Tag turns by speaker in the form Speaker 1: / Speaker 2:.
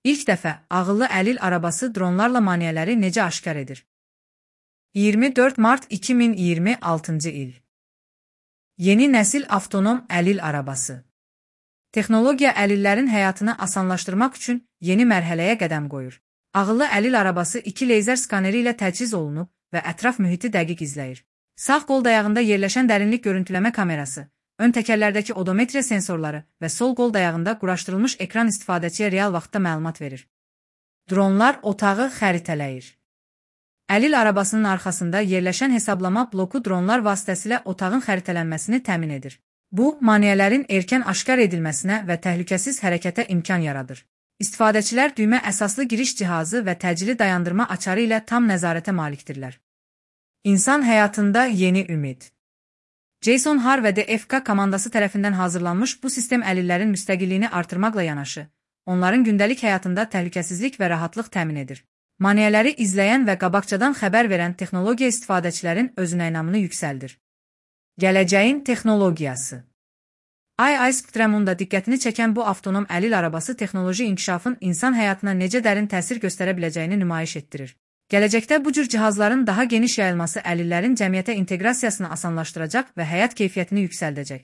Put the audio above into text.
Speaker 1: İlk dəfə ağıllı əlil arabası dronlarla maneələri necə aşkar edir? 24 mart 2026 il. Yeni nəsil avtonom əlil arabası. Texnologiya əlillərin həyatını asanlaşdırmaq üçün yeni mərhələyə qədəm qoyur. Ağıllı əlil arabası 2 leyzer skaneri ilə təchiz olunub və ətraf mühiti dəqiq izləyir. Sağ qol dayağında yerləşən dərinlik görüntüləmə kamerası, ön təkərlərdəki odometriya sensorları və sol qol dayağında quraşdırılmış ekran istifadəçiyə real vaxtda məlumat verir. Dronlar otağı xəritələyir. Əlil arabasının arxasında yerləşən hesablama bloku dronlar vasitəsilə otağın xəritələnməsini təmin edir. Bu, maneələrin erkən aşkar edilməsinə və təhlükəsiz hərəkətə imkan yaradır. İstifadəçilər düymə əsaslı giriş cihazı və təcili dayandırma açarı ilə tam nəzarətə malikdirlər. İnsan həyatında yeni ümid. Jason Har və DFK komandası tərəfindən hazırlanmış bu sistem əlillərin müstəqilliyini artırmaqla yanaşı, onların gündəlik həyatında təhlükəsizlik və rahatlıq təmin edir. Maneələri izləyən və qabaqcadan xəbər verən texnologiya istifadəçilərin özünəynamını yüksəldir. Gələcəyin texnologiyası. iSpectrum-un da diqqətini çəkən bu avtonom əlil arabası texnoloji inkişafın insan həyatına necə dərin təsir göstərə biləcəyini nümayiş etdirir. Gələcəkdə bu cür cihazların daha geniş yayılması əlillərin cəmiyyətə inteqrasiyasını asanlaşdıracaq və həyat keyfiyyətini yüksəldəcək.